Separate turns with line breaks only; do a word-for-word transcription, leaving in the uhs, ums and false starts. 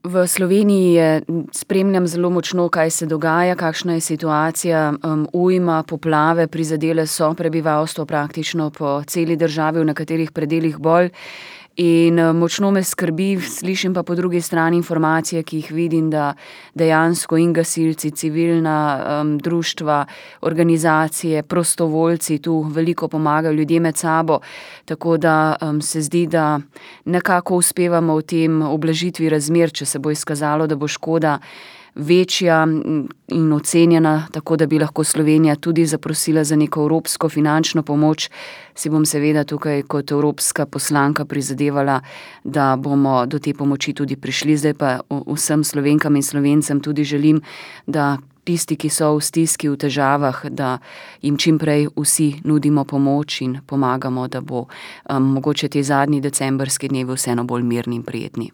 V Sloveniji je, spremljam zelo močno, kaj se dogaja, kakšna je situacija, um, ujma, poplave prizadele so prebivalstvo praktično po celi državi, v nekaterih predelih bolj. In, močno me skrbi, slišim pa po drugi strani informacije, ki jih vidim, da dejansko in gasilci, civilna, um, društva, organizacije, prostovoljci tu veliko pomagajo, ljudje med sabo. Tako da, um, se zdi, da nekako uspevamo v tem ublažitvi razmer, če se bo izkazalo, da bo škoda večja, in ocenjena, tako da bi lahko Slovenija tudi zaprosila za neko evropsko finančno pomoč, si bom seveda tukaj kot evropska poslanka prizadevala, da bomo do te pomoči tudi prišli. Zdaj pa vsem Slovenkam in Slovencem tudi želim, da tisti, ki so v stiski, v težavah, da jim čim prej vsi nudimo pomoč in pomagamo, da bo, um, mogoče ti zadnji decembrski dnevi vseeno bolj mirni in prijetni.